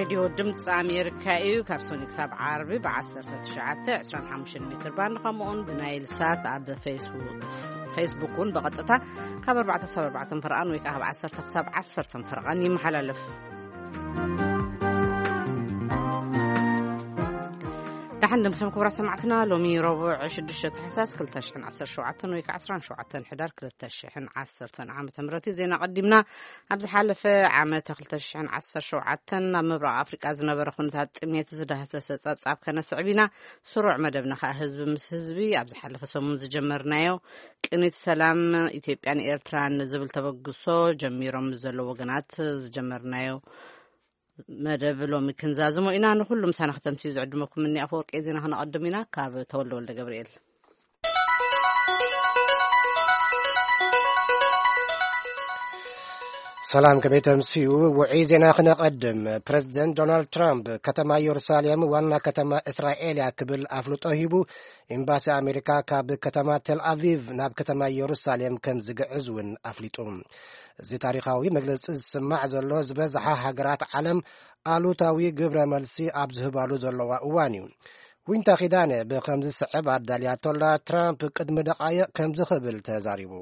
ሬድዮ ድምፂ ኣሜሪካ እዩ። ካብ ሰኒ ክሳብ ዓርቢ ብ19፣ 25 ሜትር ባንድ፣ ከምኡውን ብናይል ሳት ኣብ ፌስቡክ፣ ፌስቡክ እውን ብቐጥታ ካብ 4 ክሳብ 4 ፈርቓን ወይ ከዓ ካብ 10 ክሳብ 10 ፈርቓን ይመሓላለፍ። ደሓን ደምሰም ክቡራት ሰማዕትና፣ ሎሚ ረቡዕ 6 ታሕሳስ 2017 ወይ ከዓ 17 ሕዳር 2010 ዓመተ ምህረት እዩ። ዜና ቀዲምና። ኣብ ዝሓለፈ ዓመት 2017 ኣብ ምብራቕ ኣፍሪቃ ዝነበረ ኩነታት ጥሜት ዝዳህሰሰ ጸብጻብ ከነስዕብ ኢና። ስሩዕ መደብና ከኣ ህዝቢ ምስ ህዝቢ ኣብ ዝሓለፈ ሰሙን ዝጀመርናዮ ቅኒት ሰላም ኢትዮጵያን ኤርትራን ዝብል ተበግሶ ጀሚሮም ምስ ዘለዉ ወገናት ዝጀመርናዮ መደብ ሎሚ ክንዛዝሞ ኢና። ንኹሉ ምሳና ክተምስዩ ዝዕድመኩም እኒ ኣፈወርቂ ዜና ክነቐድም ኢና። ካብ ተወልደ ወልደ ገብርኤል። ሰላም፣ ከመይ ተምስዩ? ውዑይ ዜና ክነቐድም። ፕረዚደንት ዶናልድ ትራምፕ ከተማ ኢየሩሳሌም ዋና ከተማ እስራኤል እያ ክብል ኣፍልጦ ሂቡ። ኤምባሲ ኣሜሪካ ካብ ከተማ ቴል ኣቪቭ ናብ ከተማ ኢየሩሳሌም ከም ዝግዕዝ እውን ኣፍሊጡ። እዚ ታሪኻዊ መግለጺ ዝስማዕ ዘሎ ዝበዝሓ ሃገራት ዓለም ኣሉታዊ ግብረ መልሲ ኣብ ዝህባሉ ዘለዋ እዋን እዩ። ዊንታ ኪዳነ ብኸም ዝስዕብ ኣዳልያቶላ። ትራምፕ ቅድሚ ደቓይቕ ከምዚ ክብል ተዛሪቡ።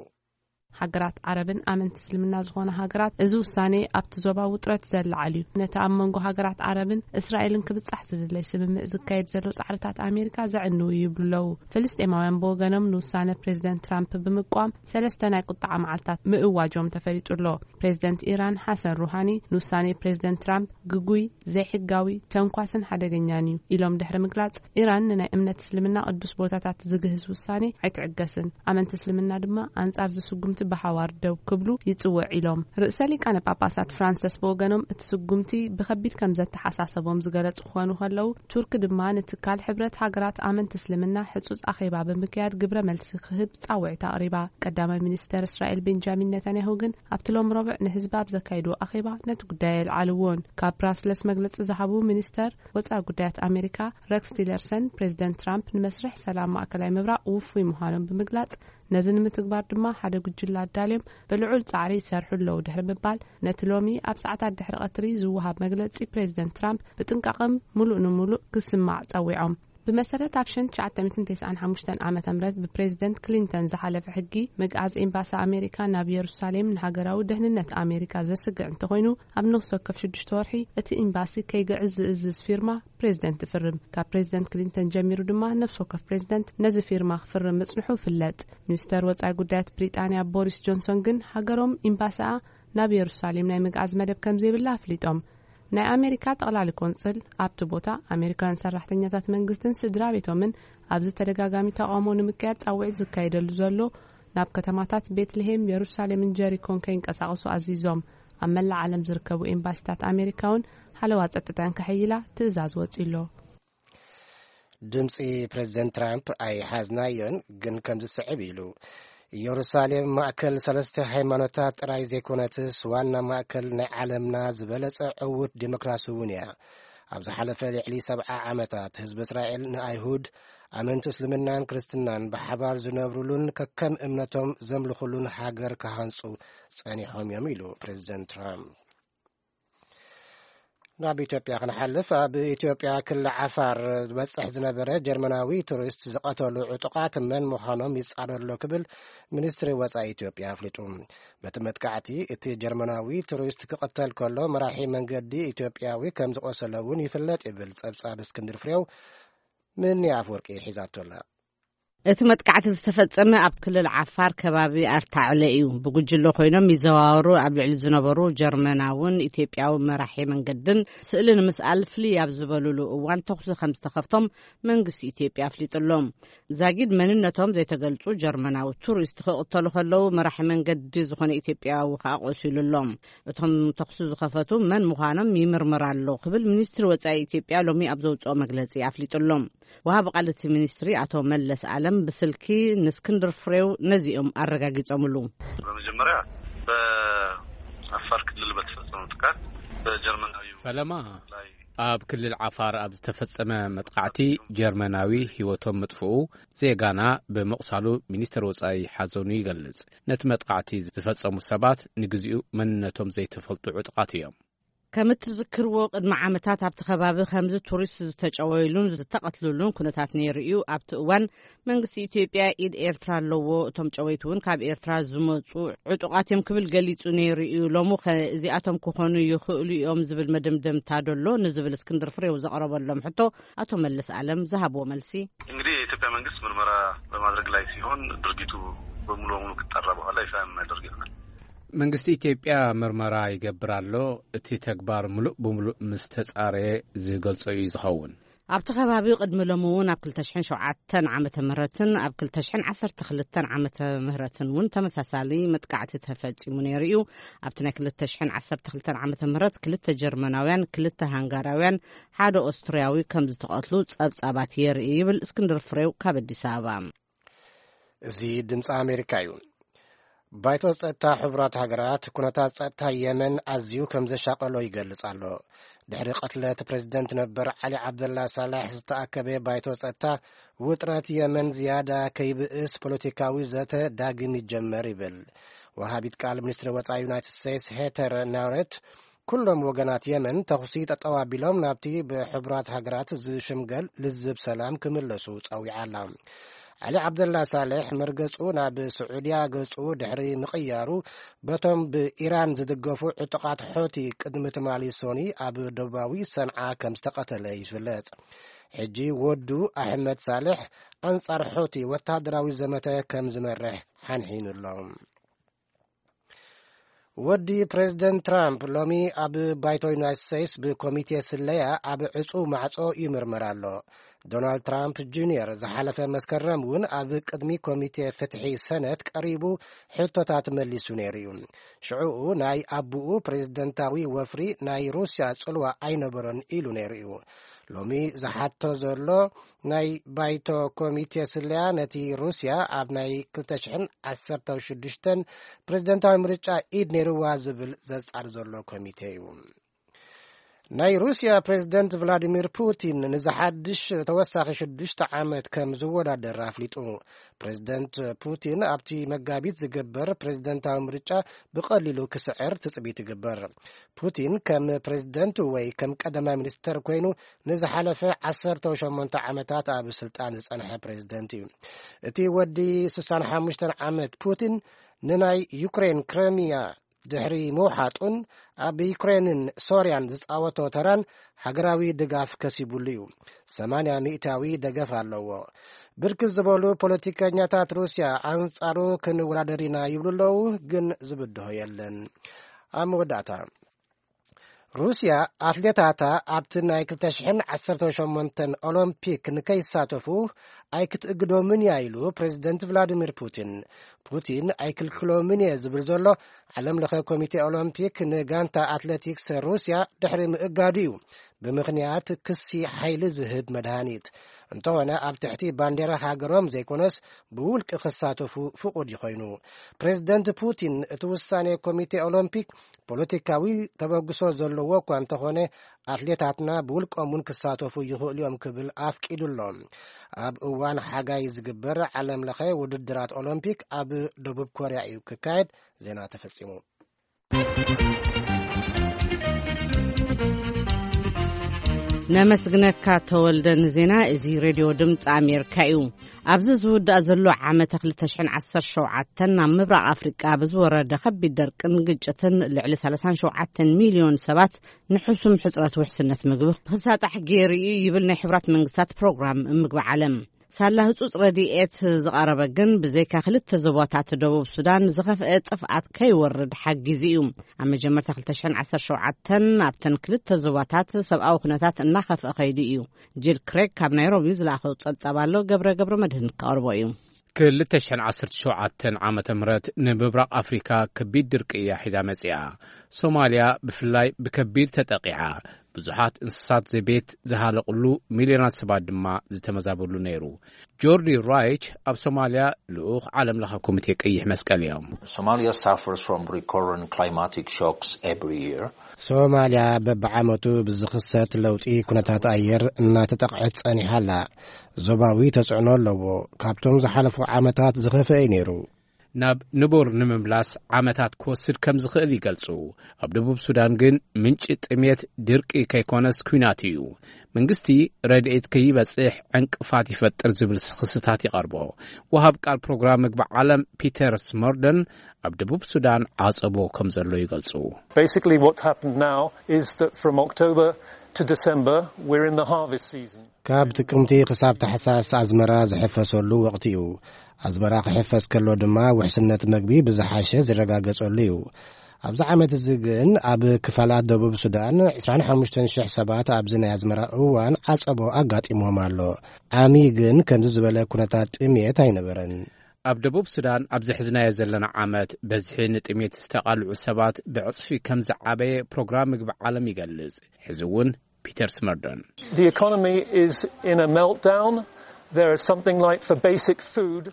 ሃገራት ዓረብን ኣመንቲ እስልምና ዝኾነ ሃገራት፣ እዚ ውሳኔ ኣብቲ ዞባ ውጥረት ዘለዓል እዩ። ነቲ ኣብ መንጎ ሃገራት ዓረብን እስራኤልን ክብጻሕ ዝድለይ ስምምዕ ዝካየድ ዘሎ ጻዕርታት ኣሜሪካ ዘዕንው እዩ ይብሉ ኣለዉ። ፍልስጤማውያን ብወገኖም ንውሳነ ፕሬዚደንት ትራምፕ ብምቋም ሰለስተ ናይ ቁጣዓ መዓልታት ምእዋጆም ተፈሊጡ ኣሎ። ፕሬዚደንት ኢራን ሓሰን ሩሃኒ ንውሳኔ ፕሬዚደንት ትራምፕ ግጉይ፣ ዘይሕጋዊ፣ ተንኳስን ሓደገኛን እዩ ኢሎም ድሕሪ ምግላጽ፣ ኢራን ንናይ እምነት እስልምና ቅዱስ ቦታታት ዝግህስ ውሳኔ ኣይትዕገስን፣ ኣመንቲ እስልምና ድማ ኣንጻር ዝስጉምቲ ብሓዋር ደው ክብሉ ይጽውዕ ኢሎም። ርእሰ ሊቃነ ጳጳሳት ፍራንሰስ ብወገኖም እቲ ስጉምቲ ብኸቢድ ከም ዘተሓሳሰቦም ዝገለጹ ክኾኑ ከለዉ፣ ቱርክ ድማ ንትካል ሕብረት ሃገራት ኣመንቲ እስልምና ሕጹጽ ኣኼባ ብምክያድ ግብረ መልሲ ክህብ ጻውዒት ኣቕሪባ። ቀዳማይ ሚኒስተር እስራኤል ቤንጃሚን ነታንያሁ ግን ኣብቲ ሎም ረቡዕ ንህዝቢ ኣብ ዘካይድዎ ኣኼባ ነቲ ጉዳይ ኣየልዓልዎን። ካብ ብራስለስ መግለጺ ዝሃቡ ሚኒስተር ወጻኢ ጉዳያት ኣሜሪካ ረክስ ቲለርሰን፣ ፕሬዚደንት ትራምፕ ንመስርሕ ሰላም ማእከላይ ምብራቕ ውፉይ ምዃኖም ብምግላጽ፣ ነዚ ንምትግባር ድማ ሓደ ጉጅለ ኣዳልዮም ብልዑል ጻዕሪ ይሰርሑ ኣለዉ ድሕሪ ምባል፣ ነቲ ሎሚ ኣብ ሰዓታት ድሕሪ ቀትሪ ዝወሃብ መግለጺ ፕሬዚደንት ትራምፕ ብጥንቃቐም ምሉእ ንምሉእ ክስማዕ ጸዊዖም። ብመሰረት ኣብ ሸንት ትሽዓተ ሚእትን ተስዓን ሓሙሽተን ዓመተ ምህረት ብፕሬዚደንት ክሊንተን ዝሓለፈ ሕጊ፣ ምግኣዝ ኤምባሲ ኣሜሪካ ናብ የሩሳሌም ንሃገራዊ ደህንነት ኣሜሪካ ዘስግዕ እንተኾይኑ፣ ኣብ ነፍሲ ወከፍ ሽዱሽተ ወርሒ እቲ ኤምባሲ ከይግዕዝ ዝእዝዝ ፊርማ ፕሬዚደንት ይፍርም። ካብ ፕሬዚደንት ክሊንተን ጀሚሩ ድማ ነፍሲ ወከፍ ፕሬዚደንት ነዚ ፊርማ ክፍርም ምጽንሑ ይፍለጥ። ሚኒስተር ወጻኢ ጉዳያት ብሪጣንያ ቦሪስ ጆንሶን ግን ሃገሮም ኤምባሲኣ ናብ የሩሳሌም ናይ ምግኣዝ መደብ ከም ዘይብላ ኣፍሊጦም። ናይ ኣሜሪካ ጠቕላሊ ቆንጽል ኣብቲ ቦታ፣ ኣሜሪካውያን ሰራሕተኛታት መንግስትን ስድራ ቤቶምን ኣብዚ ተደጋጋሚ ተቓውሞ ንምክያድ ጻውዒት ዝካየደሉ ዘሎ ናብ ከተማታት ቤትልሄም፣ የሩሳሌምን ጀሪኮን ከይንቀሳቐሱ ኣዚዞም። ኣብ መላእ ዓለም ዝርከቡ ኤምባሲታት ኣሜሪካ እውን ሓለዋ ጸጥታን ከሐይላ ትእዛዝ ወጺኡ ኣሎ። ድምፂ ፕሬዚደንት ትራምፕ ኣይሓዝናዮን፣ ግን ከም ዝስዕብ ኢሉ። ኢየሩሳሌም ማእከል ሰለስተ ሃይማኖታት ጥራይ ዘይኮነትስ፣ ዋና ማእከል ናይ ዓለምና ዝበለጸ ዕዉት ዲሞክራሲ እውን እያ። ኣብ ዝሓለፈ ልዕሊ ሰብዓ ዓመታት ህዝቢ እስራኤል ንኣይሁድ፣ ኣመንቲ እስልምናን ክርስትናን ብሓባር ዝነብሩሉን ከከም እምነቶም ዘምልኹሉን ሃገር ክሃንጹ ጸኒሖም እዮም ኢሉ ፕሬዚደንት ትራምፕ። ናብ ኢትዮጵያ ክንሓልፍ፣ ኣብ ኢትዮጵያ ክልል ዓፋር ዝበጽሕ ዝነበረ ጀርመናዊ ቱሪስት ዝቐተሉ ዕጡቓት መን ምዃኖም ይጻረሎ ክብል ሚኒስትሪ ወጻኢ ኢትዮጵያ ኣፍሊጡ። በቲ መጥቃዕቲ እቲ ጀርመናዊ ቱሪስት ክቕተል ከሎ፣ መራሒ መንገዲ ኢትዮጵያዊ ከም ዝቖሰለ እውን ይፍለጥ ይብል ጸብጻብ እስክንድር ፍሬው። ምኒ ኣፍወርቂ ሒዛቶ ኣላ። እቲ መጥቃዕቲ ዝተፈጸመ ኣብ ክልል ዓፋር ከባቢ ኣርታዕለ እዩ። ብጉጅለ ኮይኖም ይዘዋወሩ ኣብ ልዕሊ ዝነበሩ ጀርመናውን ኢትዮጵያዊ መራሒ መንገድን ስእሊ ንምስኣል ፍልይ ኣብ ዝበሉሉ እዋን ተኹሲ ከም ዝተኸፍቶም መንግስቲ ኢትዮጵያ ኣፍሊጡ ኣሎ። ዛጊድ መንነቶም ዘይተገልጹ ጀርመናዊ ቱሪስት ክቕተሉ ከለዉ፣ መራሒ መንገዲ ዝኾነ ኢትዮጵያዊ ከኣ ቆሲሉ ኣሎ። እቶም ተኹሲ ዝኸፈቱ መን ምዃኖም ይምርመር ኣሎ ክብል ሚኒስትሪ ወጻኢ ኢትዮጵያ ሎሚ ኣብ ዘውጽኦ መግለጺ ኣፍሊጡ ኣሎ። ወሃቢ ቃል እቲ ሚኒስትሪ ኣቶ መለስ ኣለም ብስልኪ ንእስክንድር ፍሬው ነዚኦም ኣረጋጊጾምሉ። በመጀመሪያ በአፋር ክልል በተፈጸመው ጥቃት በጀርመናዊው ፈለማ ላይ ኣብ ክልል ዓፋር ኣብ ዝተፈጸመ መጥቃዕቲ ጀርመናዊ ህይወቶም ምጥፍኡ፣ ዜጋና ብምቕሳሉ ሚኒስተር ወጻኢ ሓዘኑ ይገልጽ። ነቲ መጥቃዕቲ ዝፈጸሙ ሰባት ንግዚኡ መንነቶም ዘይተፈልጡ ዕጡቓት እዮም። ከም እትዝክርዎ፣ ቅድሚ ዓመታት ኣብቲ ከባቢ ከምዚ ቱሪስት ዝተጨወይሉን ዝተቐትልሉን ኩነታት ነይሩ እዩ። ኣብቲ እዋን መንግስቲ ኢትዮጵያ ኢድ ኤርትራ ኣለዎ፣ እቶም ጨወይቲ እውን ካብ ኤርትራ ዝመፁ ዕጡቓት እዮም ክብል ገሊፁ ነይሩ እዩ። ሎሚ ኸ እዚኣቶም ክኾኑ ይኽእሉ እዮም ዝብል መደምደምታ ደሎ ንዝብል እስክንድር ፍሬው ዘቕረበሎም ሕቶ፣ ኣቶ መለስ ኣለም ዝሃብዎ መልሲ። እንግዲህ የኢትዮጵያ መንግስት ምርመራ በማድረግ ላይ ሲሆን ድርጊቱ በሙሉ በሙሉ ከተጣራ በኋላ ይፋ የምናደርግ ይሆናል። መንግስቲ ኢትዮጵያ ምርመራ ይገብር ኣሎ። እቲ ተግባር ምሉእ ብምሉእ ምስ ተጻረየ ዝገልጾ እዩ ዝኸውን። ኣብቲ ከባቢ ቅድሚ ሎሚ እውን ኣብ ክልተ ሽሕን ሸውዓተን ዓመተ ምህረትን ኣብ ክልተ ሽሕን ዓሰርተ ክልተን ዓመተ ምህረትን እውን ተመሳሳሊ መጥቃዕቲ ተፈጺሙ ነይሩ እዩ። ኣብቲ ናይ ክልተ ሽሕን ዓሰርተ ክልተን ዓመተ ምህረት ክልተ ጀርመናውያን፣ ክልተ ሃንጋራውያን፣ ሓደ ኦስትርያዊ ከም ዝተቐትሉ ጸብጻባት የርኢ ይብል እስክንድር ፍሬው ካብ ኣዲስ ኣበባ። እዚ ድምፂ ኣሜሪካ እዩ። ባይቶ ጸጥታ ሕቡራት ሃገራት ኩነታት ጸጥታ የመን ኣዝዩ ከም ዘሻቀሎ ይገልጽ ኣሎ። ድሕሪ ቅትለት ፕሬዝደንት ነበር ዓሊ ዓብደላ ሳላሕ ዝተኣከበ ባይቶ ጸጥታ፣ ውጥረት የመን ዝያዳ ከይብእስ ፖለቲካዊ ዘተ ዳግም ይጀመር ይብል። ወሃቢት ቃል ሚኒስትሪ ወጻኢ ዩናይትድ ስቴትስ ሄተር ናውሬት፣ ኩሎም ወገናት የመን ተኹሲ ጠጠው ኣቢሎም ናብቲ ብሕቡራት ሃገራት ዝሽምገል ልዝብ ሰላም ክምለሱ ጸዊዓ ኣላ። ዓሊ ዓብደላ ሳልሕ መርገጹ ናብ ስዑድያ ገጹ ድሕሪ ምቕያሩ፣ በቶም ብኢራን ዝድገፉ ዕጡቓት ሖቲ ቅድሚ ትማሊ ሶኒ ኣብ ደቡባዊ ሰንዓ ከም ዝተቐተለ ይፍለጥ። ሕጂ ወዱ ኣሕመድ ሳልሕ ኣንጻር ሖቲ ወታደራዊ ዘመተ ከም ዝመርሕ ሓንሒኑ ኣሎ። ወዲ ፕሬዝደንት ትራምፕ ሎሚ ኣብ ባይቶ ዩናይትድ ስቴትስ ብኮሚቴ ስለያ ኣብ ዕጹ ማዕጾ ይምርመር ኣሎ። ዶናልድ ትራምፕ ጁኒየር ዝሓለፈ መስከረም እውን ኣብ ቅድሚ ኮሚቴ ፍትሒ ሰነት ቀሪቡ ሕቶታት መሊሱ ነይሩ እዩ። ሽዑኡ ናይ ኣቡኡ ፕሬዝደንታዊ ወፍሪ ናይ ሩስያ ጽልዋ ኣይነበሮን ኢሉ ነይሩ እዩ። ሎሚ ዝሓቶ ዘሎ ናይ ባይቶ ኮሚቴ ስለያ ነቲ ሩስያ ኣብ ናይ ክልተ ሽሕን ዓሰርተ ሽዱሽተን ፕሬዝደንታዊ ምርጫ ኢድ ነይርዋ ዝብል ዘጻር ዘሎ ኮሚቴ እዩ። ናይ ሩስያ ፕሬዝደንት ቭላዲሚር ፑቲን ንዝሓድሽ ተወሳኺ ሽዱሽተ ዓመት ከም ዝወዳደር ኣፍሊጡ። ፕሬዝደንት ፑቲን ኣብቲ መጋቢት ዝግበር ፕሬዝደንታዊ ምርጫ ብቐሊሉ ክስዕር ትጽቢት ይግበር። ፑቲን ከም ፕሬዝደንት ወይ ከም ቀዳማይ ሚኒስተር ኮይኑ ንዝሓለፈ ዓሰርተ ሸሞንተ ዓመታት ኣብ ስልጣን ዝጸንሐ ፕሬዝደንት እዩ። እቲ ወዲ ስሳን ሓሙሽተን ዓመት ፑቲን ንናይ ዩክሬን ክረሚያ ድሕሪ ምውሓጡን ኣብ ዩክሬንን ሶርያን ዝጻወቶ ተራን ሃገራዊ ድጋፍ ከሲቡሉ እዩ። ሰማንያ ሚእታዊ ደገፍ ኣለዎ። ብርክት ዝበሉ ፖለቲከኛታት ሩስያ ኣንጻሩ ክንወዳደር ኢና ይብሉ ኣለዉ፣ ግን ዝብድሆ የለን። ኣብ መወዳእታ፣ ሩስያ ኣትሌታታ ኣብቲ ናይ ክልተ ሽሕን ዓሰርተ ሸሞንተን ኦሎምፒክ ንከይሳተፉ ኣይክትእግዶምን እያ ኢሉ ፕሬዝደንት ቭላዲሚር ፑቲን። ፑቲን ኣይክልክሎምን እየ ዝብል ዘሎ ዓለም ለኸ ኮሚቴ ኦሎምፒክ ንጋንታ ኣትሌቲክስ ሩስያ ድሕሪ ምእጋዱ እዩ፣ ብምኽንያት ክሲ ሓይሊ ዝህብ መድሃኒት። እንተኾነ ኣብ ትሕቲ ባንዴራ ሃገሮም ዘይኮነስ ብውልቂ ክሳተፉ ፍቑድ ይኾይኑ። ፕሬዝደንት ፑቲን እቲ ውሳኔ ኮሚቴ ኦሎምፒክ ፖለቲካዊ ተበግሶ ዘለዎ እኳ እንተኾነ፣ ኣትሌታትና ብውልቆም እውን ክሳተፉ ይኽእሉ እዮም ክብል ኣፍቂዱ ኣሎ። ኣብ እዋን ሓጋይ ዝግበር ዓለም ለኸ ውድድራት ኦሎምፒክ ኣብ ደቡብ ኮርያ እዩ ክካየድ። ዜና ተፈጺሙ። ነመስግነካ ተወልደ ንዜና። እዚ ሬድዮ ድምፂ ኣሜሪካ እዩ። ኣብዚ ዝውዳእ ዘሎ ዓመተ ክልተ ሽሕን ዓሰርተ ሸውዓተን ናብ ምብራቕ ኣፍሪቃ ብዝወረደ ከቢድ ደርቅን ግጭትን ልዕሊ ሰላሳን ሸውዓተን ሚልዮን ሰባት ንሕሱም ሕጽረት ውሕስነት ምግቢ ክሳጣሕ ገይሩ እዩ ይብል ናይ ሕቡራት መንግስታት ፕሮግራም ምግቢ ዓለም። ሳላ ህጹጽ ረድኤት ዝቐረበ ግን ብዘይካ ክልተ ዞባታት ደቡብ ሱዳን ዝኸፍአ ጥፍኣት ከይወርድ ሓጊዙ እዩ። ኣብ መጀመርታ ክልተ ሽሕን ዓሰርተ ሸውዓተን ኣብተን ክልተ ዞባታት ሰብኣዊ ኩነታት እናኸፍአ ከይዱ እዩ። ጂል ክሬግ ካብ ናይሮቢ ዝለኣኸው ጸብጻብ ኣሎ፣ ገብረ ገብረ መድህን ክቐርቦ እዩ። ክልተ ሽሕን ዓሰርተ ሸውዓተን ዓመተ ምህረት ንምብራቕ ኣፍሪካ ከቢድ ድርቂ እያ ሒዛ መጺኣ። ሶማልያ ብፍላይ ብከቢድ ተጠቂዓ። ብዙሓት እንስሳት ዘቤት ዝሃለቕሉ፣ ሚልዮናት ሰባት ድማ ዝተመዛበሉ ነይሩ። ጆርዲ ራይች ኣብ ሶማልያ ልኡኽ ዓለም ለኸ ኮሚቴ ቀይሕ መስቀል እዮም። Somalia suffers from recurrent climatic shocks every year. ሶማልያ በብዓመቱ ብዝኽሰት ለውጢ ኩነታት ኣየር እናተጠቕዐት ጸኒሓ ኣላ። ዞባዊ ተጽዕኖ ኣለዎ። ካብቶም ዝሓለፉ ዓመታት ዝኸፍአ እዩ ነይሩ። ናብ ንቡር ንምምላስ ዓመታት ክወስድ ከም ዝኽእል ይገልጹ። ኣብ ደቡብ ሱዳን ግን ምንጪ ጥሜት ድርቂ ከይኮነስ ኲናት እዩ። መንግስቲ ረድኤት ከይበጽሕ ዕንቅፋት ይፈጥር ዝብል ክስታት ይቐርቦ። ወሃብ ቃል ፕሮግራም ምግቢ ዓለም ፒተር ስመርደን ኣብ ደቡብ ሱዳን ዓጸቦ ከም ዘሎ ይገልጹ። Basically, what's happened now is that from October to December, we're in the harvest season. ካብ ጥቅምቲ ክሳብ ታሕሳስ ኣዝመራ ዝሕፈሰሉ ወቕቲ እዩ። ኣዝመራ ክሕፈስ ከሎ ድማ ውሕስነት መግቢ ብዝሓሸ ዝረጋገጸሉ እዩ። ኣብዚ ዓመት እዚ ግን ኣብ ክፋላት ደቡብ ሱዳን ዕስራን ሓሙሽተን ሽሕ ሰባት ኣብዚ ናይ ኣዝመራ እዋን ዓጸቦ ኣጋጢሞም ኣሎ። ዓሚ ግን ከምዚ ዝበለ ኩነታት ጥሜት ኣይነበረን። ኣብ ደቡብ ሱዳን ኣብዚ ሕዝናዮ ዘለና ዓመት በዝሒ ንጥሜት ዝተቓልዑ ሰባት ብዕጽፊ ከም ዝዓበየ ፕሮግራም ምግቢ ዓለም ይገልጽ። ሕዚ እውን ፒተር ስመርደን። The economy is in a meltdown. There is something like for basic food.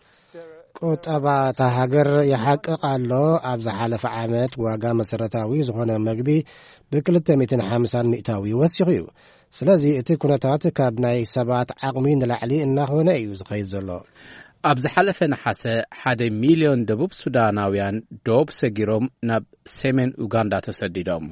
ቁጠባ እታ ሃገር ይሓቅቕ ኣሎ። ኣብ ዝሓለፈ ዓመት ዋጋ መሰረታዊ ዝኾነ መግቢ ብ ክልተ ሚእትን ሓምሳን ሚእታዊ ወሲኹ እዩ። ስለዚ እቲ ኩነታት ካብ ናይ ሰባት ዓቕሚ ንላዕሊ እናኾነ እዩ ዝኸይድ ዘሎ። ኣብ ዝሓለፈ ነሓሰ ሓደ ሚልዮን ደቡብ ሱዳናውያን ዶብ ሰጊሮም ናብ ሰሜን ኡጋንዳ ተሰዲዶም።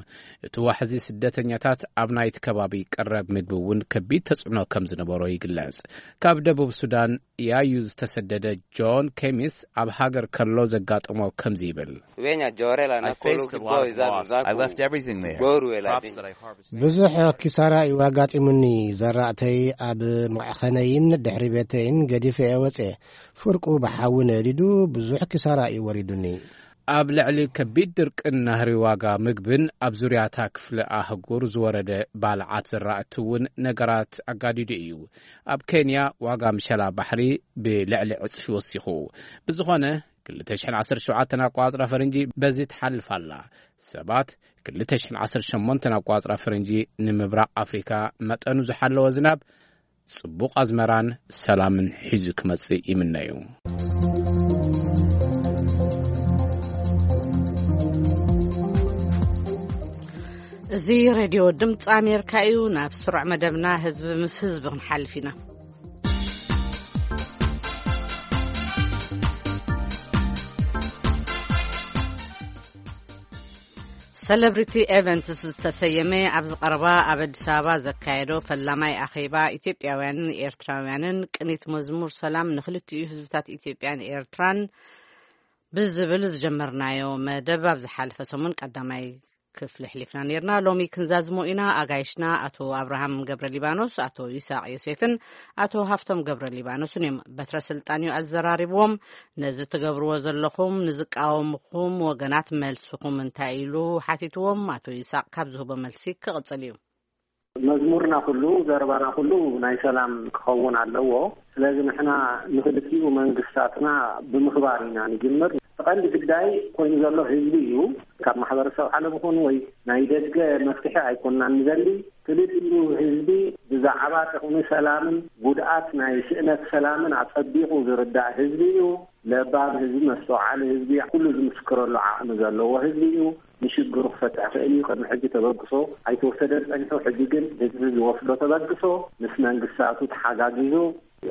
እቲ ዋሕዚ ስደተኛታት ኣብ ናይቲ ከባቢ ቀረብ ምግቢ እውን ከቢድ ተጽዕኖ ከም ዝነበሮ ይግለጽ። ካብ ደቡብ ሱዳን ያዩ ዝተሰደደ ጆን ኬሚስ ኣብ ሃገር ከሎ ዘጋጠሞ ከምዚ ይብል። Wenya jorela na kolo kiboy za za. I left everything there. Goru ela. Crops that I harvested. ብዙሕ ኪሳራ እዩ ኣጋጢሙኒ። ዘራእተይ ኣብ መዕኸነይን ድሕሪ ቤተይን ገዲፈ እየ ወፅኤ። ፍርቁ ብሓዊ ነዲዱ ብዙሕ ኪሳራ እዩ ወሪዱኒ። ኣብ ልዕሊ ከቢድ ድርቅን ናህሪ ዋጋ ምግብን ኣብ ዙርያታ ክፍለ ኣህጉር ዝወረደ ባልዓት ዘራእቲ እውን ነገራት ኣጋዲዱ እዩ። ኣብ ኬንያ ዋጋ ምሸላ ባሕሪ ብልዕሊ ዕጽፊ ወሲኹ። ብዝኾነ ክልተ ሽሕን ዓሰርተ ሸውዓተን ኣቋጽራ ፈረንጂ በዚ ትሓልፍ ኣላ። ሰባት ክልተ ሽሕን ዓሰርተ ሸሞንተን ኣቋጽራ ፈረንጂ ንምብራቕ ኣፍሪካ መጠኑ ዝሓለወ ዝናብ ጽቡቕ ኣዝመራን ሰላምን ሒዙ ክመጽእ ይምነዩ። እዚ ሬድዮ ድምፂ ኣሜሪካ እዩ። ናብ ስሩዕ መደብና ህዝቢ ምስ ህዝቢ ክንሓልፍ ኢና። ሰለብሪቲ ኤቨንትስ ዝተሰየመ ኣብዚ ቀረባ ኣብ ኣዲስ ኣበባ ዘካየዶ ፈላማይ ኣኼባ ኢትዮጵያውያንን ኤርትራውያንን ቅኒት መዝሙር ሰላም ንክልቲኡ ህዝብታት ኢትዮጵያን ኤርትራን ብዝብል ዝጀመርናዮ መደብ ኣብ ዝሓለፈ ሰሙን ቀዳማይ ክፍሊ ኣሕሊፍና ነርና። ሎሚ ክንዛዝሞ ኢና። ኣጋይሽና ኣቶ ኣብርሃም ገብረ ሊባኖስ፣ ኣቶ ይስሐቅ ዮሴፍን ኣቶ ሃፍቶም ገብረ ሊባኖስን እዮም። በትረ ስልጣን እዩ ኣዘራሪብዎም። ነዚ ትገብርዎ ዘለኹም ንዝቃወምኹም ወገናት መልስኹም እንታይ ኢሉ ሓቲትዎም፣ ኣቶ ይስሐቅ ካብ ዝህቦ መልሲ ክቕጽል እዩ። መዝሙርና ኩሉ፣ ዘረባና ኩሉ ናይ ሰላም ክኸውን ኣለዎ። ስለዚ ንሕና ንክልቲኡ መንግስታትና ብምኽባር ኢና ንጅምር። እቲ ቀንዲ ግዳይ ኮይኑ ዘሎ ህዝቢ እዩ። ካብ ማሕበረሰብ ዓለም ይኹን ወይ ናይ ደገ መፍትሒ ኣይኮንናን ንደሊ። ክልቲኡ ህዝቢ ብዛዕባ ጥቕሚ ሰላምን ጉድኣት ናይ ስእነት ሰላምን ኣጸቢቑ ዝርዳእ ህዝቢ እዩ። ለባም ህዝቢ፣ መስተውዓሊ ህዝቢ፣ ኩሉ ዝምስክረሉ ዓቕሚ ዘለዎ ህዝቢ እዩ። ንሽግሩ ክፈትሕ ክእል እዩ። ቅድሚ ሕጂ ተበግሶ ኣይተወሰደን ጸኒሑ። ሕጂ ግን ህዝቢ ዝወስዶ ተበግሶ ምስ መንግስታቱ ተሓጋጊዙ፣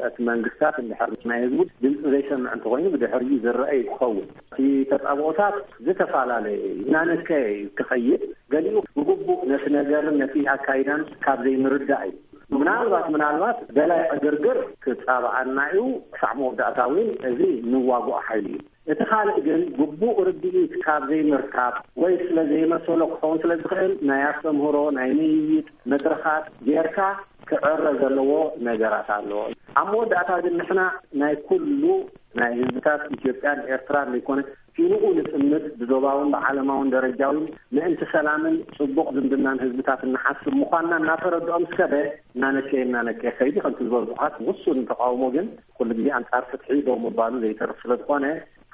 እቲ መንግስታት እንድሕር ናይ ህዝቡ ድምፂ ዘይሰምዕ እንተኮይኑ ብድሕሪኡ ዝረአ እዩ ክኸውን። እቲ ተጻብኦታት ዝተፈላለየ እዩ፣ እናነከየ እዩ ክኸይድ። ገሊኡ ብግቡእ ነቲ ነገርን ነቲ ኣካይዳን ካብ ዘይምርዳእ እዩ። ምናልባት ምናልባት ደላይ ዕግርግር ክጻብኣና እዩ። ክሳዕ መወዳእታ እውን እዚ ንዋግኦ ሓይሊ እዩ። እቲ ካልእ ግን ግቡእ ርድኢት ካብ ዘይምርካብ ወይ ስለ ዘይመሰሎ ክኸውን ስለ ዝኽእል ናይ ኣስተምህሮ፣ ናይ ምይይጥ መድረኻት ጌርካ ክዕረ ዘለዎ ነገራት ኣሎ። ኣብ መወዳእታ ግን ንሕና ናይ ኩሉ ናይ ህዝብታት ኢትዮጵያን ኤርትራን ዘይኮነ ፊንኡ ንጥምት ብዞባውን ብዓለማውን ደረጃውን ምእንቲ ሰላምን ጽቡቕ ዝምድናን ህዝብታት እንሓስብ ምዃንና እናተረድኦም ዝከደ እናነከየ እናነከየ ከይዲ ከምቲ ዝበዝሑኻት ውሱን ተቃውሞ ግን ኩሉ ግዜ ኣንጻር ፍትሒ ደው ምባሉ ዘይተርፍ ስለ ዝኾነ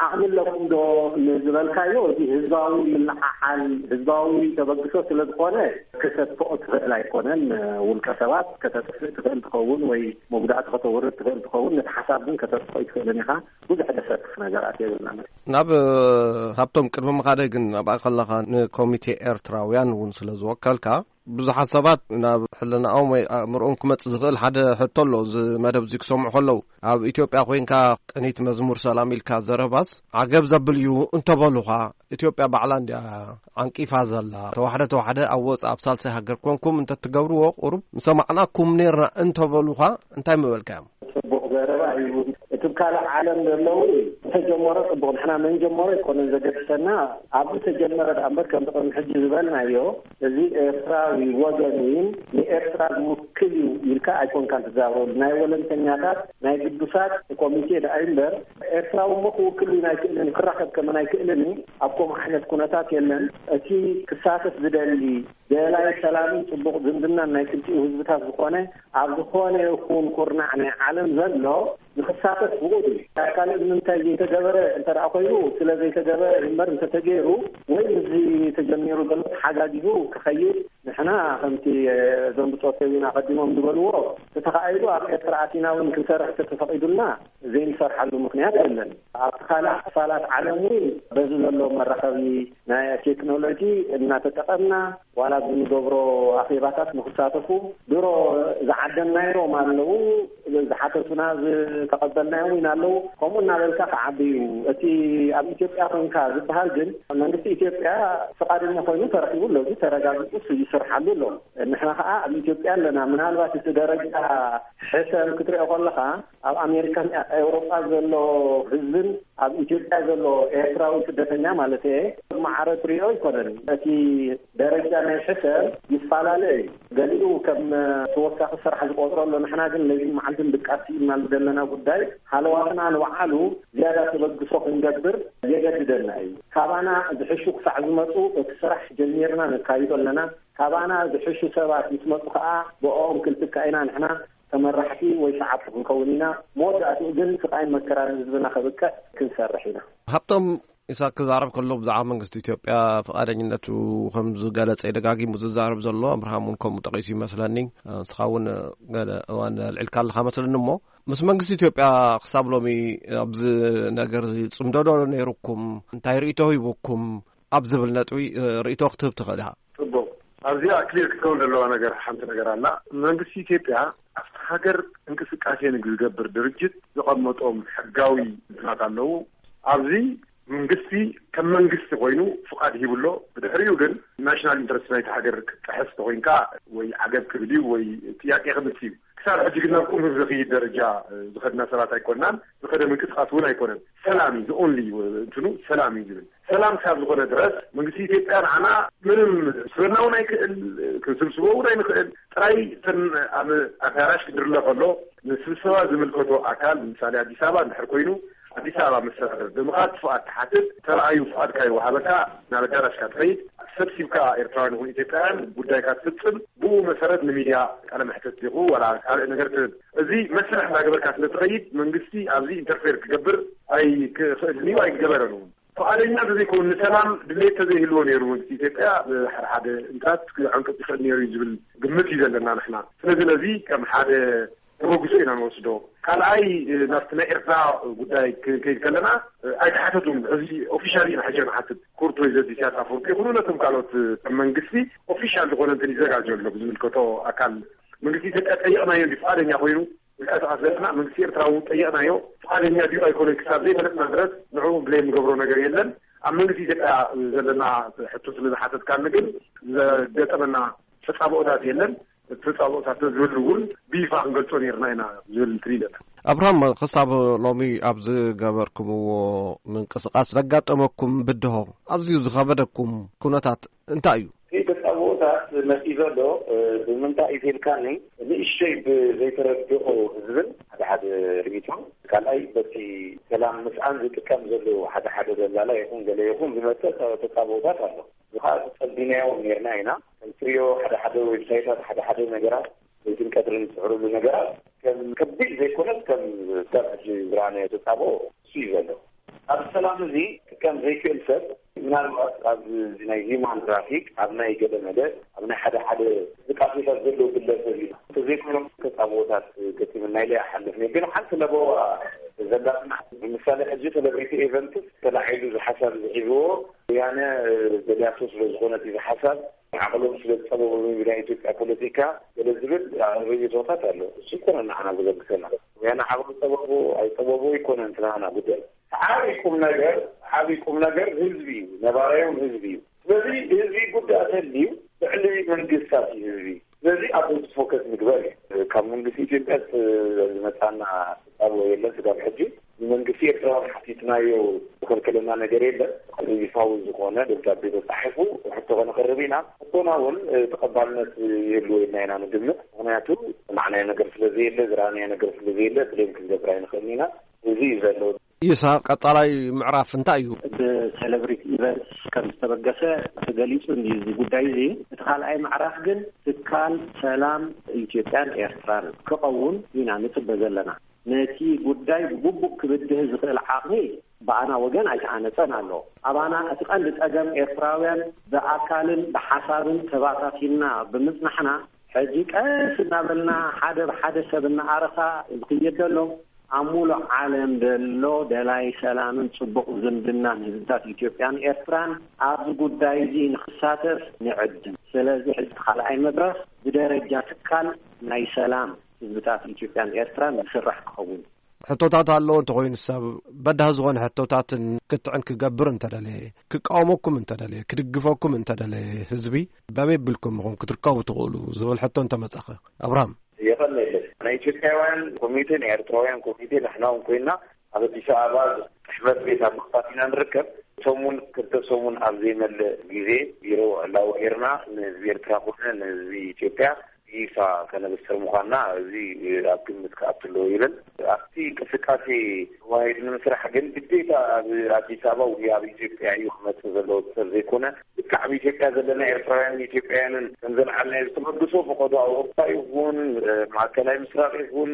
ዓቕሚ ኣለኩም ዶ ንዝበልካዮ፣ እዚ ህዝባዊ ምልዓዓል፣ ህዝባዊ ተበግሶ ስለ ዝኾነ፣ ከተጥፍኦ ትኽእል ኣይኮነን። ውልቀ ሰባት ከተጥፍእ ትኽእል ትኸውን ወይ መጉዳእቲ ከተውርድ ትኽእል ትኸውን፣ ነቲ ሓሳብ ግን ከተጥፍኦ ኣይትኽእልን ኢኻ። ብዙሕ ደሰክፍ ነገራት የብልናን። ናብ ሃብቶም ቅድሚ ምኻደይ ግን ኣብኣ ከለኻ ንኮሚቴ ኤርትራውያን እውን ስለ ዝወከልካ ብዙሓት ሰባት ናብ ሕልናኦም ወይ ኣእምሮኦም ክመጽእ ዝኽእል ሓደ ሕቶ ኣሎ። እዚ መደብ እዚ ክሰምዑ ከለዉ፣ ኣብ ኢትዮጵያ ኮይንካ ቅኒት መዝሙር ሰላም ኢልካ ዘረባስ ዓገብ ዘብል እዩ እንተበሉኻ፣ ኢትዮጵያ ባዕላ እንድያ ዓንቂፋ ዘላ። ተዋሕደ ተዋሕደ ኣብ ወጻእ ኣብ ሳልሳይ ሃገር ኮንኩም እንተትገብርዎ ቁሩብ ምሰማዕናኩም ነርና እንተበሉኻ እንታይ ምበልካዮም? ጽቡቕ ዘረባ እዩ። እቲ ካልእ ዓለም ዘለዉ ዝተጀመረ ጽቡቕ፣ ንሕና መን ጀመሮ ኣይኮነን ዘገድሰና፣ ኣብ ዝተጀመረ ደኣ እምበር ከምቲ ቅድሚ ሕጂ ዝበልናዮ፣ እዚ ኤርትራዊ ወገን እዩ፣ ንኤርትራ ዝውክል እዩ ኢልካ ኣይኮንካን ትዛረበሉ። ናይ ወለንተኛታት ናይ ግዱሳት ኮሚቴ ደኣ እዩ እምበር፣ ኤርትራዊ እሞ ክውክል እውን ኣይክእልን እዩ፣ ክራኸብ ከመን ኣይክእልን እዩ። ኣብ ከምኡ ዓይነት ኩነታት የለን። እቲ ክሳተፍ ዝደሊ ደላይ ሰላምን ጽቡቕ ዝምድናን ናይ ክልቲኡ ህዝብታት ዝኾነ፣ ኣብ ዝኾነ ይኹን ኩርናዕ ናይ ዓለም ዘሎ ንኽሳተፍ ብቑድ እዩ። ኣብ ካልእ ንምንታይ ዘይተገበረ እንተ ደኣ ኮይኑ፣ ስለ ዘይተገበረ እምበር እንተተገይሩ፣ ወይ ምስዚ ተጀሚሩ ዘሎ ተሓጋጊዙ ክኸይድ፣ ንሕና ከምቲ፣ እ፣ እዞም ብጾት ዊን ኣቐዲሞም ዝበልዎ፣ ተተኻኢሉ ኣብ ኤርትራ ኣቲና እውን ክንሰርሕ ተተፈቒዱልና ዘይንሰርሓሉ ምኽንያት የለን። ኣብቲ ካልእ ክፋላት ዓለም እውን በዚ ዘሎ መራኸቢ ናይ ቴክኖሎጂ እናተጠቐምና፣ ዋላ ብንገብሮ ኣኼባታት ንኽሳተፉ ድሮ ዝዓደምናዮም ኣለዉ፣ ዝሓተቱና ዝተቐበልናዮም እውን ኣለዉ። ከምኡ እናበልካ ክዓቢ እዩ። እቲ ኣብ ኢትዮጵያ ኮንካ ዝበሃል ግን መንግስቲ ኢትዮጵያ ፍቓደኛ ኮይኑ ተረኺቡ ኣሎ። እዚ ተረጋጊጹ ይስርሓሉ ኣሎ። ንሕና ኸዓ ኣብ ኢትዮጵያ ኣለና። ምናልባት እቲ ደረጃ ሕሰም ክትሪኦ ከለኻ ኣብ ኣሜሪካን ኤውሮጳ ዘሎ ህዝብን ኣብ ኢትዮጵያ ዘሎ ኤርትራዊ ስደተኛ ማለት እየ፣ ማዕረ ትሪኦ ኣይኮነን። እቲ ደረጃ ናይ ሕሰም ይፈላለ እዩ። ገሊኡ ከም ተወሳኺ ስራሕ ዝቆጽሮ ኣሎ። ንሕና ግን ለይትን መዓልትን ድቃስ ኢልና ዘለና ጉዳይ ሃለዋትና ንባዕሉ ዝያዳ ተበግሶ ክንገብር የገድደና እዩ። ካባና ዝሕሹ ክሳዕ ዝመጹ እቲ ስራሕ ጀሚርና ነካይዶ ኣለና። ካባና ዝሕሹ ሰባት ምስ መጹ ከኣ ብኦም ክንትካእ ኢና። ንሕና ተመራሕቲ ወይ ሰዓብቲ ክንከውን ኢና። መወዳእትኡ ግን ስቓይን መከራን ህዝብና ከብቅዕ ክንሰርሕ ኢና። ሃብቶም ኢሳቅ ክዛረብ ከሎ ብዛዕባ መንግስቲ ኢትዮጵያ ፍቓደኝነቱ ከም ዝገለጸ ደጋጊሙ ዝዛረብ ዘሎ፣ ኣብርሃም እውን ከምኡ ጠቒሱ ይመስለኒ። ንስኻ እውን ገለ እዋን ኣልዒልካ ኣለኻ መስለኒ። እሞ ምስ መንግስቲ ኢትዮጵያ ክሳብ ሎሚ ኣብዚ ነገር እዚ ጽምዶ ዶ ነይሩኩም? እንታይ ርእይቶ ሂቡኩም? ኣብ ዝብል ነጥቢ ርእይቶ ክትህብ ትኽእል ኢኻ። ጽቡቕ። ኣብዚኣ ክሊር ክትከውን ዘለዋ ነገር ሓንቲ ነገር ኣላ። መንግስቲ ኢትዮጵያ ኣብቲ ሃገር እንቅስቃሴ ንዝገብር ድርጅት ዘቐመጦም ሕጋዊ እንትናት ኣለዉ። ኣብዚ መንግስቲ ከም መንግስቲ ኮይኑ ፍቓድ ሂብሎ። ብድሕሪኡ ግን ናሽናል ኢንትረስት ናይቲ ሃገር ክጥሕስ ተኮይንካ ወይ ዓገብ ክብል እዩ ወይ ጥያቄ ክምልስ እዩ። ክሳብ ሕጂ ግን ናብ ቁም ዝኽይድ ደረጃ ዝኸድና ሰባት ኣይኮናን። ዝኸደ ምንቅስቃስ እውን ኣይኮነን። ሰላም እዩ፣ the only እንትኑ ሰላም እዩ ዝብል። ሰላም ካብ ዝኾነ ድረስ መንግስቲ ኢትዮጵያ ንዓና ምንም ስበና እውን ኣይክእል፣ ክንስብስቦ እውን ኣይንኽእል። ጥራይ እተን ኣብ ኣዳራሽ ክድርለ ከሎ ንስብሰባ ዝምልከቶ ኣካል፣ ምሳሌ ኣዲስ ኣበባ እንድሕር ኮይኑ፣ ኣዲስ ኣበባ መስተዳደር ብምኻድ ፍቓድ ትሓትት፣ ተረኣዩ ፍቓድካ ይወሃበካ፣ ናብ ኣዳራሽካ ትኸይድ፣ ሰብሲብካ ኤርትራውያን ይኹን ኢትዮጵያውያን ጉዳይካ ትፍጽም፣ ብኡ መሰረት ንሚድያ ቃለ መሕተት ዲኹ ዋላ ካልእ ነገር ትህብ። እዚ መስርሕ እንዳገበርካ ስለ ትኸይድ መንግስቲ ኣብዚ ኢንተርፌር ክገብር ኣይክኽእልን እዩ፣ ኣይገበረን እውን። ፍቓደኛ እንተዘይከውን፣ ንሰላም ድሌት ተዘይህልዎ ነይሩ መንግስቲ ኢትዮጵያ ብሓደ ሓደ እንታት ክዕንቅጽ ይኽእል ነይሩ እዩ ዝብል ግምት እዩ ዘለና ንሕና። ስለዚ ነዚ ከም ሓደ ተበግሶ ኢና ንወስዶ። ካልኣይ፣ ናብቲ ናይ ኤርትራ ጉዳይ ክንከይድ ከለና ኣይተሓተቱን። ሕዚ ኦፊሻሊ ኢና ሕጂ ንሓትት። ክቡር ፕሬዚደንት ኢሳያስ ኣፈወርቂ ይኹኑ ነቶም ካልኦት ከም መንግስቲ ኦፊሻል ዝኾነ እንትን ይዘጋጆ ኣሎ ብዝምልከቶ ኣካል። መንግስቲ ኢትዮጵያ ጠይቕናዮ እንዲ ፍቓደኛ ኮይኑ ንቀሳቐስ ዘለና፣ መንግስቲ ኤርትራ እውን ጠይቕናዮ፣ ፍቓደኛ ድዩ ኣይኮነን ክሳብ ዘይፈለጥና ድረስ ንዕኡ ብሌም ንገብሮ ነገር የለን። ኣብ መንግስቲ ኢትዮጵያ ዘለና ሕቶ ስለ ዝሓተትካኒ ግን ዘጋጠመና ተጻብኦታት የለን። እቲ ተጻብኦታት ተዝህሉ እውን ብይፋ ክንገልጾ ነይርና ኢና ዝብል እንትን ኢለና። ኣብርሃም፣ ክሳብ ሎሚ ኣብ ዝገበርኩምዎ ምንቅስቃስ ዘጋጠመኩም ብድሆ፣ ኣዝዩ ዝኸበደኩም ኩነታት እንታይ እዩ? እቲ ተጻብኦታት መጺኡ ዘሎ፣ እ፣ ብምንታይ እዩ ተልካኒ፣ ንእሽተይ ብዘይተረድኦ ህዝብን ሓደ ሓደ ርእይቶ፣ ካልኣይ በቲ ሰላም ምስኣን ዝጥቀም ዘሎ ሓደ ሓደ ደላላ ይኹን ገለ ይኹን ዝመጸ ተ-፣ ተጻብኦታት ኣሎ። እዚ ኸኣ ጸቢናዮ ነይርና ኢና። ከም ትሪኦ ሓደ ሓደ ዌብሳይታት፣ ሓደ ሓደ ነገራት፣ ለይትን ቀትርን ዝስዕርሉ ነገራት ከም ከቢድ ዘይኮነስ ከም ክሳብ ሕጂ ዝረኣናዮ ተጻብኦ እሱ እዩ ዘሎ። ኣብ ሰላም እዚ ክጥቀም ዘይክእል ሰብ ምናልባት ኣብ ናይ ሂውማን ትራፊክ፣ ኣብ ናይ ገለ መለ፣ ኣብ ናይ ሓደ ሓደ እንቅስቃሴታት ዘለዎ ግለሰብ እዩ። እንተዘይኮይኖም ተጻብኦታት ገጢሙና ኢለ ይሓልፍ ነይሩ። ግን ሓንቲ ለበዋ ዘላትና፣ ንምሳሌ ሕጂ ሴሌብሪቲ ኤቨንትስ ተላዒሉ እዚ ሓሳብ እዚ ሒዝዎ ወያነ ደልያቶ ስለ ዝኾነ እቲ ሓሳብ ዓቕሎም ስለ ዝፀበቡ ናይ ኢትዮጵያ ፖለቲካ ገለ ዝብል ርእይቶታት ኣሎ። እሱ ይኮነ ንዓና ዘገድሰና። ወያነ ዓቕሉ ፀበቡ ኣይፀበቡ ይኮነ እንትናና ጉዳይ። ዓብይ ቁም ነገር ዓብይ ቁም ነገር ህዝቢ እዩ፣ ነባራዮም ህዝቢ እዩ። ስለዚ ህዝቢ ጉዳይ ተልዩ ልዕሊ መንግስታት እዩ ህዝቢ። ስለዚ ኣብ ህዝቢ ፎከስ ምግበር እዩ። ካብ መንግስቲ ኢትዮጵያ ዝመፃና ፃብሎ የለን ስጋብ ሕጂ። ንመንግስቲ ኤርትራ ሓቲትናዮ ዝከልከለና ነገር የለን። ይፋዊ ዝኾነ ደብዳቤ ተፃሒፉ ሕቶ ከነቅርብ ኢና። ሕቶና እውን ተቐባልነት ይህልዎ ኢልና ኢና ንግምት። ምክንያቱ ዝሰማዕናዮ ነገር ስለዘየለ፣ ዝረኣናዮ ነገር ስለዘየለ ብሌም ክንገብር ኣይንኽእልን ኢና። እዚ እዩ ዘሎ። ይስሃቅ፣ ቀጻላይ ምዕራፍ እንታይ እዩ? ብሴሌብሪቲ ኢቨንትስ ከም ዝተበገሰ ተገሊጹ እንዲ እዚ ጉዳይ እዚ። እቲ ካልኣይ ምዕራፍ ግን ትካል ሰላም ኢትዮጵያን ኤርትራን ክኸውን ኢና ንጽበ ዘለና። ነቲ ጉዳይ ብግቡእ ክብድህ ዝኽእል ዓቕሚ ብኣና ወገን ኣይተሃነጸን ኣሎ። ኣባና እቲ ቀንዲ ጸገም ኤርትራውያን ብኣካልን ብሓሳብን ተባታቲና ብምጽናሕና፣ ሕጂ ቀስ እናበልና ሓደ ብሓደ ሰብ እናኣረኻ ዝኽየድ ዘሎ፣ ኣብ ሙሉእ ዓለም ዘሎ ደላይ ሰላምን ጽቡቕ ዝምድናን ህዝብታት ኢትዮጵያን ኤርትራን ኣብዚ ጉዳይ እዚ ንኽሳተፍ ንዕድም። ስለዚ ሕጂ እቲ ካልኣይ መድረኽ ብደረጃ ትካል ናይ ሰላም ህዝብታት ኢትዮጵያን ኤርትራን ዝስራሕ ክኸውን። ሕቶታት ኣለዎ እንተኾይኑ ሰብ በዳህ ዝኾነ ሕቶታትን ክትዕን ክገብር እንተደለየ፣ ክቃወመኩም እንተደለየ፣ ክድግፈኩም እንተደለየ ህዝቢ በበይ ብልኩም ኢኹም ክትርከቡ ትኽእሉ ዝብል ሕቶ እንተመጻኸ? ኣብርሃም። የቐነለ ናይ ኢትዮጵያውያን ኮሚቴ፣ ናይ ኤርትራውያን ኮሚቴ ንሕና እውን ኮይና ኣብ ኣዲስ ኣበባ ጽሕፈት ቤት ኣብ ምኽፋት ኢና ንርከብ። ሰሙን ክልተ ሰሙን ኣብ ዘይመልእ ግዜ ቢሮ ዕላዊ ጌርና ንህዝቢ ኤርትራ ኮነ ንህዝቢ ኢትዮጵያ ይፋ ከነብስር ምዃንና እዚ ኣብ ግምት ክኣቱ ኣለዎ ይብል። ኣብቲ እንቅስቃሴ ተዋሂዱ ንምስራሕ ግን ግዴታ ኣብ ኣዲስ ኣበባ ወይ ኣብ ኢትዮጵያ እዩ ክመጽእ ዘለዎ ሰብ ዘይኮነ፣ ልክዕ ኣብ ኢትዮጵያ ዘለና ኤርትራውያን ኢትዮጵያውያንን ከም ዘለዓልናዮ ዝተበግሶ ፈቐዶ ኣውሮፓ ይኹን ማእከላይ ምስራቅ ይኹን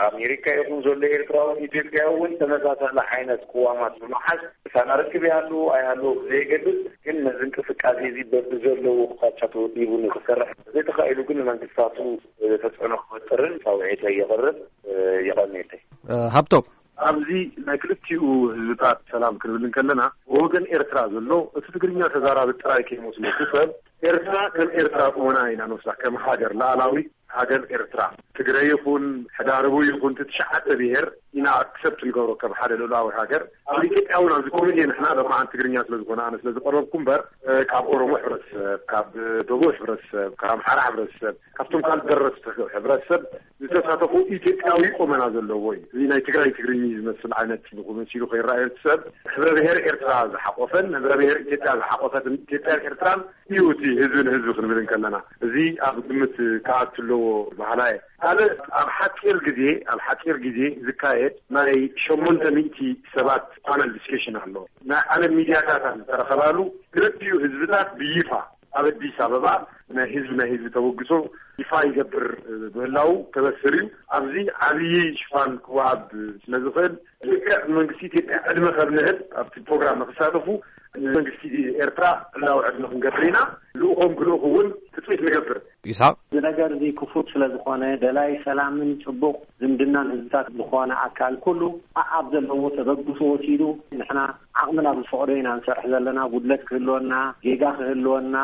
ኣሜሪካ ይኹን ዘሎ ኤርትራውን ኢትዮጵያዊ እውን ተመሳሳሊ ዓይነት ቅዋማት ብምሓዝ ሳና ርክብ ይሃሉ ኣይሃሉ ዘይገድስ፣ ግን ነዚ እንቅስቃሴ እዚ በብዘለዎ ኣቕጣጫ ተወዲቡ ንክሰርሕ ዘይተኻኢሉ ግን ንመንግስታቱ ተፅዕኖ ክፈጥርን ፃውዒተይ የቕርብ። የቐንየለይ። ሃብቶም። ኣብዚ ናይ ክልቲኡ ህዝብታት ሰላም ክንብል እንከለና ብወገን ኤርትራ ዘሎ እቲ ትግርኛ ተዛራቢ ጥራይ ከይመስለኩ ሰብ ኤርትራ ከም ኤርትራ ቁመና ኢና ንወስዳ ከም ሃገር ላዕላዊ ሃገር ኤርትራ ትግራይ ይኹን ሕዳርቡ ይኹን እቲ ትሽዓተ ብሄር ኢና ኣክሰፕት ንገብሮ ከም ሓደ ልኡላዊ ሃገር። ኣብ ኢትዮጵያ እውን ኣብዚ ኮሚቴ ንሕና ለማዓን ትግርኛ ስለ ዝኾነ ኣነ ስለ ዝቀረብኩ እምበር ካብ ኦሮሞ ሕብረተሰብ ካብ ደቡብ ሕብረተሰብ ካብ ኣምሓራ ሕብረተሰብ ካብቶም ካልእ ደረስቲ ሕብረተሰብ ዝተሳተፉ ኢትዮጵያዊ ቁመና ዘለዎ እዩ። እዚ ናይ ትግራይ ትግርኛ ዝመስል ዓይነት መሲሉ ከይረኣየ እቲ ሰብ ሕብረ ብሄር ኤርትራ ዝሓቆፈን ሕብረ ብሄር ኢትዮጵያ ዝሓቆፈትን ኢትዮጵያን ኤርትራን እዩ እቲ ህዝቢ ንህዝቢ ክንብል እንከለና እዚ ኣብ ግምት ክኣቱ ኣለዎ በሃላይ። ካልእ ኣብ ሓፂር ግዜ ኣብ ሓፂር ግዜ ዝካየድ ናይ ሸሞንተ ሚእቲ ሰባት ፓነል ዲስከሽን ኣሎ። ናይ ዓለም ሚድያታት ዝተረኸባሉ ክልቲኡ ህዝብታት ብይፋ ኣብ ኣዲስ ኣበባ ናይ ህዝቢ ናይ ህዝቢ ተበግሶ ይፋ ይገብር ምህላው ተበስር እዩ። ኣብዚ ዓብዪ ሽፋን ክወሃብ ስለ ዝኽእል ልክዕ መንግስቲ ኢትዮጵያ ዕድመ ከብ ንህብ ኣብቲ ፕሮግራም ንክሳተፉ መንግስቲ ኤርትራ ዕላዊ ዕድመ ክንገብር ኢና። ልኡኾም ክልእኹ እውን ትፅቢት ንገብር። ይስሓቅ። እዚ ነገር እዚ ክፉት ስለ ዝኾነ ደላይ ሰላምን ፅቡቕ ዝምድናን ህዝብታት ዝኾነ ኣካል ኩሉ ኣኣብ ዘለዎ ተበግሶ ወሲዱ ንሕና ዓቕምና ብዝፈቕዶ ኢና ንሰርሕ ዘለና። ጉድለት ክህልወና ጌጋ ክህልወና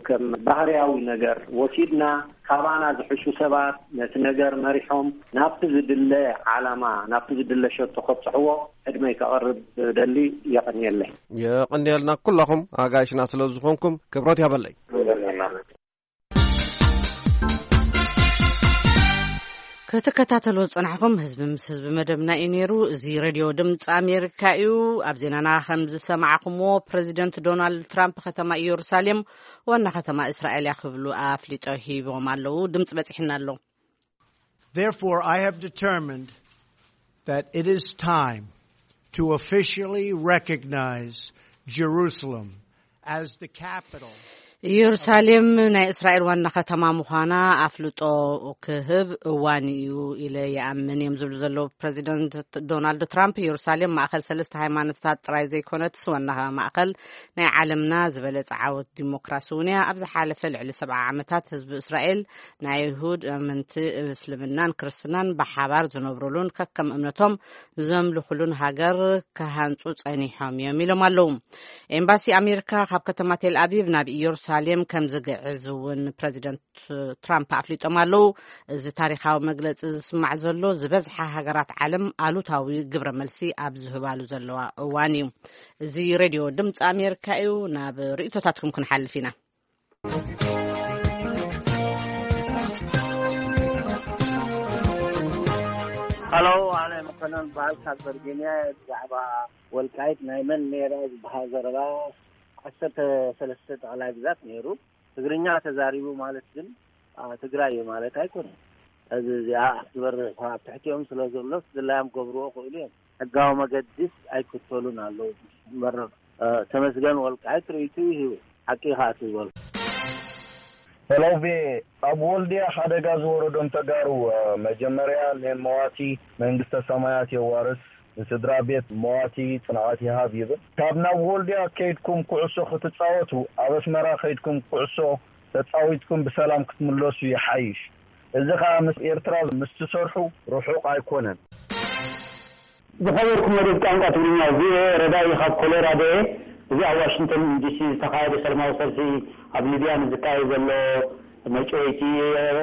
ከም ባህርያዊ ነገር ወሲድና ካባና ዝሕሹ ሰባት ነቲ ነገር መሪሖም ናብቲ ዝድለ ዓላማ ናብቲ ዝድለ ሸቶ ከብፅሕዎ ዕድመይ ከቕርብ ደሊ። የቐንየለይ። የቐንየልና ኩላኹም ኣጋይሽና ስለ ዝኾንኩም ክብረት ያበለይ። ክትከታተሉ ዝጸናሕኹም ህዝቢ ምስ ህዝቢ መደብና እዩ ነይሩ። እዚ ሬድዮ ድምፂ ኣሜሪካ እዩ። ኣብ ዜናና ከም ዝሰማዕኹምዎ ፕሬዚደንት ዶናልድ ትራምፕ ከተማ ኢየሩሳሌም ዋና ከተማ እስራኤል እያ ክብሉ ኣፍሊጦ ሂቦም ኣለዉ። ድምፂ በፂሕና ኣሎ። Therefore, I have determined that it is time to officially recognize Jerusalem as the capital. ኢየሩሳሌም ናይ እስራኤል ዋና ከተማ ምዃና ኣፍልጦ ክህብ እዋን እዩ ኢለ ይኣምን እዮም ዝብሉ ዘለዉ ፕሬዚደንት ዶናልድ ትራምፕ። ኢየሩሳሌም ማእኸል ሰለስተ ሃይማኖታት ጥራይ ዘይኮነትስ ዋና ማእኸል ናይ ዓለምና ዝበለጸ ዓወት ዲሞክራሲ እውን እያ። ኣብ ዝሓለፈ ልዕሊ ሰብዓ ዓመታት ህዝቢ እስራኤል ናይ ኣይሁድ ኣመንቲ እስልምናን ክርስትናን ብሓባር ዝነብሩሉን ከከም እምነቶም ዘምልኹሉን ሃገር ክሃንጹ ጸኒሖም እዮም ኢሎም ኣለዉ። ኤምባሲ ኣሜሪካ ካብ ከተማ ቴል ኣቪቭ ናብ ኢየሩሳሌም ከም ዝግዕዝ እውን ፕረዚደንት ትራምፕ ኣፍሊጦም ኣለዉ። እዚ ታሪኻዊ መግለጺ ዝስማዕ ዘሎ ዝበዝሓ ሃገራት ዓለም ኣሉታዊ ግብረ መልሲ ኣብ ዝህባሉ ዘለዋ እዋን እዩ። እዚ ሬድዮ ድምፂ ኣሜሪካ እዩ። ናብ ርእይቶታትኩም ክንሓልፍ ኢና። ሃሎ፣ ኣነ መኮነን በዓል ካብ ቨርጂንያ። ብዛዕባ ወልቃይት ናይ መን ነይራ ዝበሃል ዘረባ፣ ዓሰርተ ሰለስተ ጠቕላይ ግዛት ነይሩ። ትግርኛ ተዛሪቡ ማለት ግን ትግራይ እዩ ማለት ኣይኮነን። እዚ እዚኣ ክትበርህ እኳ ኣብ ትሕቲኦም ስለ ዘሎ ድላዮም ክገብርዎ ክእሉ እዮም። ሕጋዊ መገዲስ ኣይክተሉን ኣለዉ። መረብ ተመስገን ወልቃይት ርእይቱ ይህቡ። ሓቂ ከዓ ትበሉ። ሄሎ ቪ ኣብ ወልድያ ሓደጋ ዝወረዶም ተጋሩ መጀመርያ ንመዋቲ መንግስተ ሰማያት የዋርስ፣ ንስድራ ቤት መዋቲ ጽንዓት ይሃብ ይብል። ካብ ናብ ወልድያ ከይድኩም ኩዕሶ ክትጻወቱ ኣብ ኣስመራ ከይድኩም ኩዕሶ ተጻዊትኩም ብሰላም ክትምለሱ ይሓይሽ። እዚ ኸኣ ምስ ኤርትራ ምስ ትሰርሑ ርሑቕ ኣይኮነን። ዝኸበርኩም መደብ ቋንቋ ትግርኛ ቪኦኤ ረዳኢ ካብ ኮሎራዶ እየ። እዚ ኣብ ዋሽንግተን ዲሲ ዝተኻየደ ሰላማዊ ሰልፊ ኣብ ሊብያ ንዝካየድ ዘሎ መጭወይቲ፣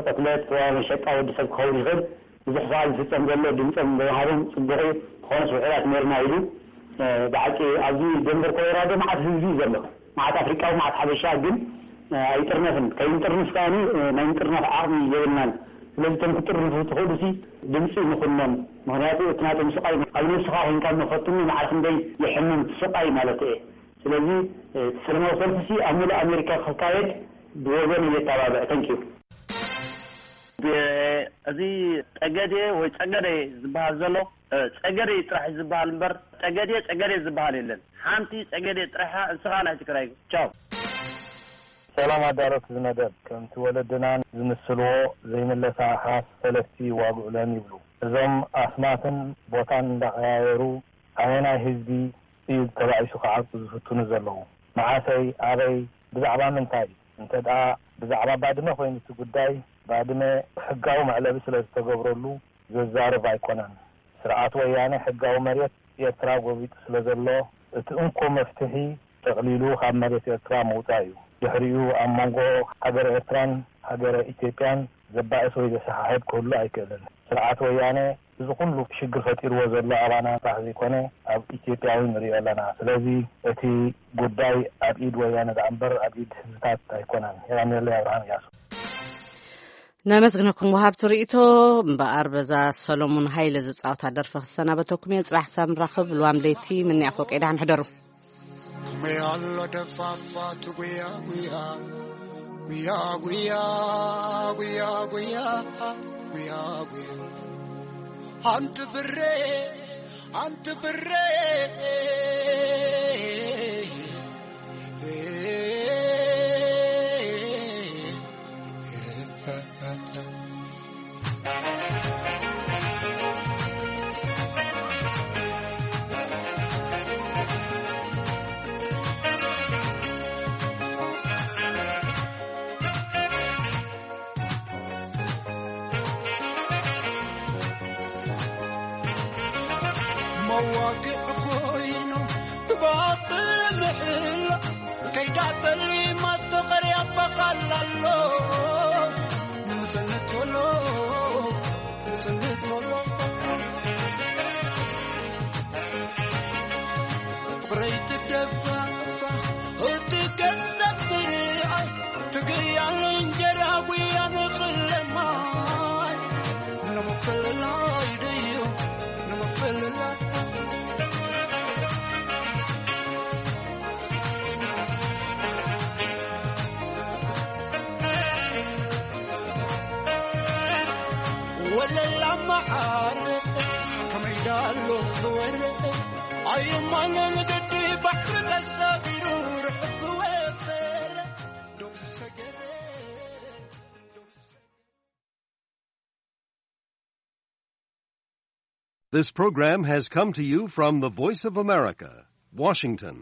ቅትለት፣ መሸጣ ወዲ ሰብ ክኸውን ይኽእል። ብዙሕ ሰዓት ዝፍጸም ዘሎ ድምጾም ብምሃቦም ጽቡቕ እዩ። ዝኾነስ ውሑዳት ነርና ኢሉ። ብሓቂ ኣብዚ ደንበር ኮሎራዶ መዓት ህዝቢ እዩ ዘሎ። መዓት ኣፍሪቃዊ መዓት ሓበሻ ግን ኣይጥርነፍን። ከይንጥርንፍ ከኣ ናይ ምጥርናፍ ዓቕሚ የብልናን። ስለዚ እቶም ክጥርንፉ ትኽእሉ ሲ ድምፂ ንኹኖም። ምክንያቱ እቲ ናቶም ስቃይ ኣብ ነብስኻ ኮይንካ እሞ ፈትኑ መዓር ክንደይ የሕምም ስቃይ ማለት እየ። ስለዚ እቲ ሰለማዊ ሰልፊ ሲ ኣብ ሙሉእ ኣሜሪካ ክካየድ ብወገን እየተባብዕ። ተንኪዩ። እዚ ጠገዴ ወይ ጸገዴ ዝበሃል ዘሎ ጸገዴ ጥራሕ ዝበሃል እምበር ጠገዴ ጸገዴ ዝበሃል የለን። ሓንቲ ጸገዴ ጥራሓ እንስኻ ናይ ትግራይ ቻው። ሰላም ኣዳለውቲ ዝመደብ፣ ከምቲ ወለድና ዝምስልዎ ዘይምለሳ ኣሓት ፈለስቲ ይዋግዑለን ይብሉ። እዞም ኣስማትን ቦታን እንዳቐያየሩ ኣየናይ ህዝቢ እዩ ተባኢሱ ክዓጹ ዝፍትኑ ዘለዉ? መዓሰይ? ኣበይ? ብዛዕባ ምንታይ? እንተ ደኣ ብዛዕባ ባድመ ኮይኑ እቲ ጉዳይ፣ ባድመ ሕጋዊ መዕለቢ ስለ ዝተገብረሉ ዘዛርብ ኣይኮነን። ስርዓት ወያነ ሕጋዊ መሬት ኤርትራ ጎቢጡ ስለ ዘሎ፣ እቲ እንኮ መፍትሒ ጠቕሊሉ ካብ መሬት ኤርትራ ምውጻእ እዩ። ድሕሪኡ ኣብ መንጎ ሃገረ ኤርትራን ሃገረ ኢትዮጵያን ዘባእስ ወይ ዘሰሓሕብ ክህሉ ኣይክእልን። ስርዓት ወያነ እዚ ኩሉ ሽግር ፈጢርዎ ዘሎ ኣባና ጥራሕ ዘይኮነ ኣብ ኢትዮጵያ እውን ንሪኦ ኣለና። ስለዚ እቲ ጉዳይ ኣብ ኢድ ወያነ ደኣ እምበር ኣብ ኢድ ህዝብታት ኣይኮነን። የቐንየለይ። ኣብርሃም እያሱ። ነመስግነኩም ወሃብቲ ርእይቶ። እምበኣር በዛ ሰሎሙን ሃይለ ዝጻወታ ደርፊ ክሰናበተኩም እየ። ጽባሕ ሳብ ንራኸብ። ልዋም ለይቲ ምንያ ፎቄ። ደሓን ሕደሩ። ከመይ ኣሎ ደፋፋቱ ጉያ ጉያ ጉያ ጉያ ጉያ ጉያ ጉያ ጉያ ኣንቲ ብሬ ኣንቲ ብሬ መዋግዕ ኮይኑ ትባኽ ምሕላ ከይዳ ጠሊማቶ ቀርያ በቓላ ኣሎ ንጽንት ቶሎ ንጽንት ቶሎ ፍቕረይ ትደፋፋ እቲ ገንዘብ ምርኣይ ትግያሉ እንጀራ ጉያ ንኽለማይ ንምፍልላይ ድዩ ንምፍልላይ ወለላ መዓር ከመይ ዳሎ ዝወርድ ኣየማነ ንገዲ ባሕሪ ተሳፊሩ ርሑቕ ዝወፈረ ዶብ ዝሰገረ This program has come to you from the Voice of America, Washington.